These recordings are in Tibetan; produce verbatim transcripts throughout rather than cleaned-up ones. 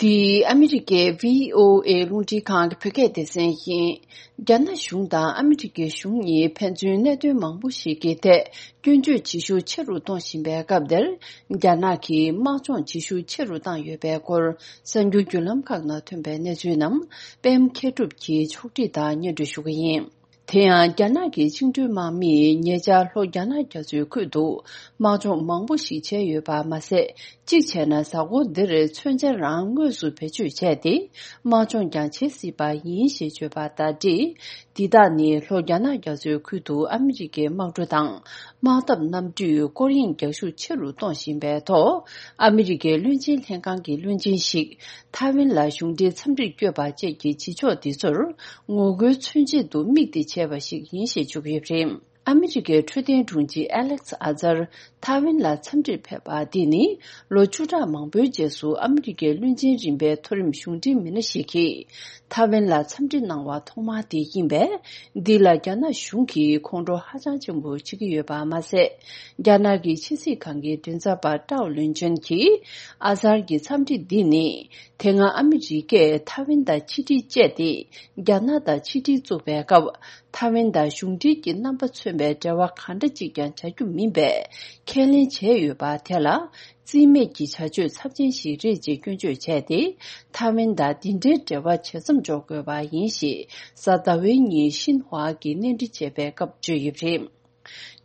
འདི་ཨ་མི་རི་ཀའི་བྷི་ཨོ་ཨེ་རླུང་འཕྲིན་ཁང་གི་བོད་སྐད་སྡེ་ཚན་ཡིན། རྒྱ་ནག་གཞུང་དང་ཨ་མི་རི་ཀའི་གཞུང་གཉིས་ཕན་ཚུན་གནད་དོན་མང་པོ་ཞིག་གི་ཐད་སྐྱོན་བརྗོད་བྱེད་ཤུགས་ཆེ་རུ་གཏོང་བཞིན་པའི་སྐབས་འདིར། རྒྱ་ནག་གིས་དམག་སྦྱོང་བྱེད་ཤུགས་ཆེ་རུ་བཏང་ཡོད་པའི་སྐོར་གསར་འགྱུར་བརྒྱུད་ལམ་ཁག་ནང་ཐོན་པའི་གནས་ཚུལ་རྣམས་པད་མ་མཁས་གྲུབ་ཀྱིས་ཕྱོགས་སྒྲིག་དང་སྙན་སྒྲོན་ཞུ་གི་ཡིན། དེ་ཡང་རྒྱ་ནག་གི་བཅིངས་འགྲོལ་དམག་མིས་ཉེ་ཆར་ལྷོ་རྒྱ་ནག་རྒྱ་མཚོའི་ཁུལ་དུ་དམག་སྦྱོང་མང་པོ་ཞིག་བྱས་ཡོད་པ་མ་ཟད། གཅིག་བྱས་ན་གཟའ་འཁོར་འདིར་མཚོན་ཆ་རང་དངོས་སུ་བེད་སྤྱོད་བྱས་ཏེ་དམག་སྦྱོང་ཀྱང་བྱེད་སྲིད་པ་ཡིན་ཞེས་བརྗོད་པ་དང་འབྲེལ། འདི་དག་ནི་ལྷོ་རྒྱ་ནག་རྒྱ་མཚོའི་ཁུལ་དུ་ཨ་མི་རི་ཀའི་དམག་གྲུ་དང་དམག་འཐབ་གནམ་གྲུས་སྐོར་གཡེང་རྒྱག་ཤུགས་ཆེ་རུ་གཏོང་བཞིན་པའི་ཐོག་ཨ་མི་རི་ཀའི་བློན་ཆེན་ལྷན་ཁང་གི་བློན་ཆེན་ཞིག་ཐའེ་ཝན་ལ་གཞུང་འབྲེལ་འཚམས་འདྲིར་བསྐྱོད་པ་བཅས་ཀྱི་བྱེད་ཕྱོགས་འདི་ཚོར་ངོ་རྒོལ་མཚོན་ཆེད་དུ་དམིགས་ཏེ་བྱས་པ་ཞིག་ཡིན་ཞེས་བརྗོད་ཀྱི་ཡོད་པ་རེད། ཨ་མི་རི་ཀའི་འཕྲོད་བསྟེན་དྲུང་ཆེ་ཨ་ལེག་སི་ཨ་ཛར་ཐའེ་ཝན་ལ་འཚམས་འདྲིར་ཕེབས་པ་འདི་ནི་ལོ་བཅུ་ཕྲག་མང་པོའི་རྗེས་སུ་ཨ་མི་རི་ཀའི་བློན་ཆེན་རིམ་པའི་མཐོ་རིམ་གཞུང་འབྲེལ་མི་སྣ་ཞིག་གིས་ཐའེ་ཝན་ལ་འཚམས་འདྲི་གནང་བ་ཐོག་མ་དེ་ཡིན་པས། འདི་ལ་རྒྱ་ནག་གཞུང་གིས་ཁོང་ཁྲོ་ཧ་ཅང་ཆེན་པོ་བྱེད་ཀྱི་ཡོད་པ་མ་ཟད། རྒྱ་ནག་གི་ཕྱི་སྲིད་ཁང་གི་མགྲིན་ཚབ་པ་ཀྲའོ་ལུན་ཅུན་གྱིས་ཨ་ཛར་གྱི་འཚམས་འདྲི་འདི་ནི། དེ་སྔ་ཨ་མི་རི་ཀས་ཐའེ་ཝན་དང་ཕྱི་འབྲེལ་བཅད་དེ། རྒྱ་ནག་དང་ཕྱི་འབྲེལ་བཙུགས་པའི་སྐབས། ཐའེ་ཝན་དང་གཞུང་འབྲེལ་གྱི་རྣམ་པ་མཚོན་པའི་འབྲེལ་བ་གང་འདྲ་གཅིག་ཀྱང་བྱ་རྒྱུ་མིན་པའི་ཁས་ལེན་བྱས་ཡོད་པ་དེ་ལ། རྩིས་མེད་ཀྱི་བྱ་སྤྱོད་ཚབས་ཆེན་ཞིག་རེད་ཅེས་སྐྱོན་བརྗོད་བྱས་ཏེ། ཐའེ་ཝན་དང་འདི་འདྲའི་འབྲེལ་བ་བྱེད་མཚམས་འཇོག་དགོས་པ་ཡིན་ཞེས། གཟའ་ཟླ་བའི་ཉིན་ཤིན་ཧྭ་གིས་གནས་འདྲི་བྱས་པའི་སྐབས་བརྗོད་ཡོད་པ་རེད།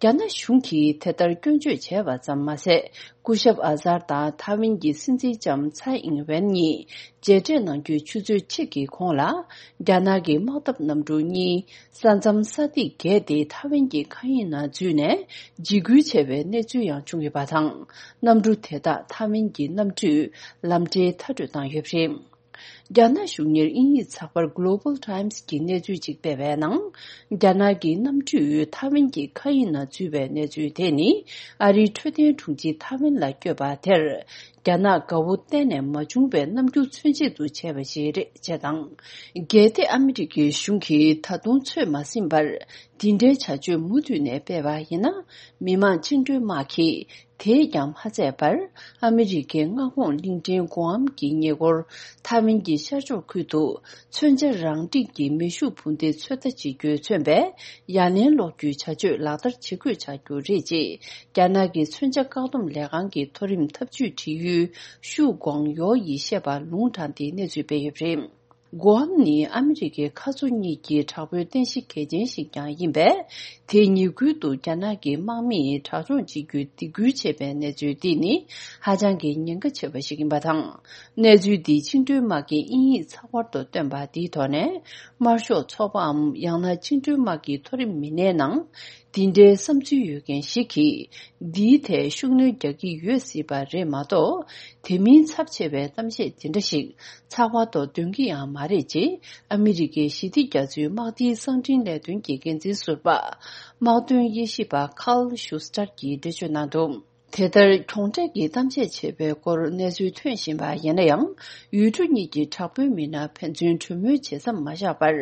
རྒྱ་ནག་གཞུང་གིས་དེ་ལྟར་སྐྱོན་བརྗོད་བྱས་པ་ཙམ་མ་ཟད། སྐུ་ཞབས་ཨ་ཛར་དང་ཐའེ་ཝན་གྱི་སྲིད་འཛིན་ལྕམ་ཚའེ་ཨིང་ཝེན་གཉིས་མཇལ་འཕྲད་གནང་རྒྱུའི་ཆུ་ཚོད་གཅིག་གི་གོང་ལ། རྒྱ་ནག་གི་དམག་འཐབ་གནམ་གྲུ་གཉིས་ས་མཚམས་ས་ཐིག་བརྒལ་ཏེ་ཐའེ་ཝན་གྱི་མཁའ་དབྱིངས་ནང་འཛུལ་ནས་འཇིགས་སྐུལ་བྱས་པའི་གནས་ཚུལ་ཡང་བྱུང་ཡོད་པ་དང་། གནམ་གྲུ་དེ་དག་ཐའེ་ཝན་གྱི་གནམ་གྲུས་ལམ་འབྲས་མཐར་སྐྲོད་བཏང་ཡོད་པ་རེད། རྒྱ་ནག་གཞུང་གཉེར་དབྱིན་ཡིག་ཚགས་པར་Global Times་གྱིས་གནས་ཚུལ་ཅིག་སྤེལ་བའི་ནང་། རྒྱ་ནག་གི་གནམ་གྲུས་ཐའེ་ཝན་གྱི་མཁའ་དབྱིངས་ནང་འཛུལ་བའི་གནས་ཚུལ་དེ་ནི། ཨ་རིའི་འཕྲོད་བསྟེན་དྲུང་ཆེ་ཐའེ་ཝན་ལ་བསྐྱོད་པ་དེར། རྒྱ་ནག་དགའ་བོ་གཏན་ནས་མ་བྱུང་བའི་རྣམ་འགྱུར་མཚོན་ཆེད་དུ་བྱས་པ་ཞིག་རེད་ཅེས་དང་། གལ་ཏེ་ཨ་མི་རི་ཀའི་གཞུང་གིས་ད་དུང་ཚོད་མ་ཟིན་པར། འདི་འདྲའི་བྱ་སྤྱོད་མུ་མཐུད་ནས་སྤེལ་བ་ཡིན་ན། མི་དམངས་བཅིངས་འགྲོལ་དམག་གིས། དེས་ཀྱང་མ་ཚད་པར། ཨ་མི་རི་ཀའི་མངའ་ཁོངས་གླིང་ཕྲན་གུ་ཨམ་གྱི་ཉེ་འཁོར་ཐའེ་ཝན་གྱི་ཤར་ཕྱོགས་ཁུལ་དུ། མཚོན་ཆ་རང་འགྲིག་གི་མེ་ཤུགས་འཕུར་མདེལ་ཚོད་ལྟ་བྱེད་རྒྱུས་མཚོན་པའི་ཡ་ལན་སློག་རྒྱུའི་བྱ་སྤྱོད་ལག་བསྟར་བྱེད་དགོས་ཆགས་རྒྱུ་རེད་ཅེས། རྒྱ་ནག་གི་མཚོན་ཆ་བཀག་སྡོམ་ལས་ཁང་གི་མཐོ་རིམ་ཐབས་ཇུས་དྲི་ཡུལ་ཤུ་ཀོང་ཡོ་ཡིས་བཤད་པ་ལུང་དྲངས་ཏེ་གནས་ཚུལ་སྤེལ་ཡོད་པ་རེད། གུ་ཨམ་ནི་ཨ་མི་རི་ཀའི་མཁའ་མཚོ་གཉིས་ཀྱི་དྲག་པོའི་རྟེན་གཞི་གལ་ཆེན་ཞིག་ཀྱང་ཡིན་པས། དེ་ཉེ་ཁུལ་དུ་རྒྱ་ནག་གི་དམག་མིས་དྲག་སྦྱོང་བྱེད་རྒྱུའི་སྡིགས་སྐུལ་བྱས་པའི་གནས་ཚུལ་འདི་ནི་ཧ་ཅང་གི་ཉེན་ཁ་ཆེ་བ་ཞིག་ཡིན་པ་དང་། གནས་ཚུལ་འདི་བཅིངས་འགྲོལ་དམག་གིས་དབྱིན་ཡིག་ཚགས་པར་དུ་བཏོན་པ་འདིའི་ཐོག་ནས། དམར་ཤོག་ཚོགས་པའམ་ཡང་ན་བཅིངས་འགྲོལ་དམག་གི་མཐོ་རིམ་མི་སྣའི་ནང་། འདི་འདྲའི་བསམ་ཚུལ་ཡོད་མཁན་ཞིག་གིས། འདིའི་ཐད་ཤུགས་སྣོན་རྒྱག་གི་ཡོད་སྲིད་པ་རེད་མ་གཏོགས། དེ་མིན་ཚབས་ཆེ་བའི་གཏམ་བཤད་དེ་འདྲ་ཞིག་ཚགས་པར་ཐོག་འདོན་གྱི་ཡང་མ་རེད་ཅེས། ཨ་མི་རི་ཀའི་ཞི་བདེ་རྒྱ་མཚོའི་དམག་སྡེའི་གསང་འཕྲིན་ལས་དོན་གྱི་འགན་འཛིན་ཟུར་པ། དམག་དོན་དབྱེ་ཞིབ་པ་ཁཱལ་ཤུ་སི་ཊར་གྱིས་འགྲེལ་བརྗོད་གནང་འདུག་དེ་ལྟར་གྱོང་ཁྲན་གྱི་གཏམ་བཤད་བྱས་པའི་སྐོར་གནས་ཚུལ་ཐོན་བཞིན་པ་ཡིན་ན་ཡང་། ཡུལ་གྲུ་གཉིས་ཀྱི་དྲག་པོའི་མི་སྣ་ཕན་ཚུན་གྲོས་མོལ་བྱེད་མཚམས་མ་བཞག་པར།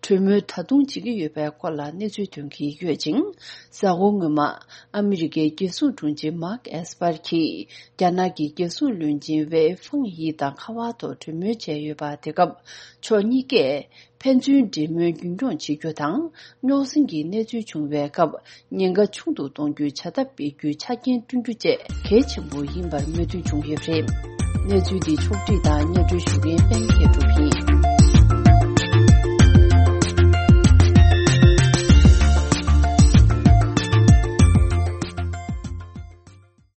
གྲོས་མོལ་ད་དུང་བྱེད་ཀྱི་ཡོད་པའི་སྐོར་ལ་གནས་ཚུལ་ཐོན་གྱི་ཡོད་ཅིང་། གཟའ་འཁོར་སྔོན་མ། ཨ་མི་རི་ཀའི་རྒྱལ་སྲུང་དྲུང་ཆེ་མཱག་ཨེས་པར་གྱིས། རྒྱ་ནག་གི་རྒྱལ་སྲུང་བློན་ཆེན་ཝེ་ཧྥང་ཡི་དང་ཁ་པར་ཐོག་གྲོས་མོལ་བྱས་ཡོད་པ། དེ་སྐབས་ཕྱོགས་གཉིས་ཀས། ཕན་ཚུན་འབྲེལ་མོལ་རྒྱུན་འཁྱོངས་བྱེད་རྒྱུ་དང་། རྙོག་ཟིང་གི་གནས་ཚུལ་བྱུང་བའི་སྐབས། ཉེན་ཁ་ཆུང་དུ་གཏོང་རྒྱུའི་བྱ་ཐབས་སྤེལ་རྒྱུའི་ཆ་རྐྱེན་བསྐྲུན་རྒྱུ་བཅས་གལ་ཆེན་པོ་ཡིན་པར་མོས་མཐུན་བྱུང་ཡོད་པ་རེད། གནས་ཚུལ་འདི་ཕྱོགས་སྒྲིག་དང་སྙན་སྒྲོན་ཞུ་མཁན་པད་མ་མཁས་གྲུབ་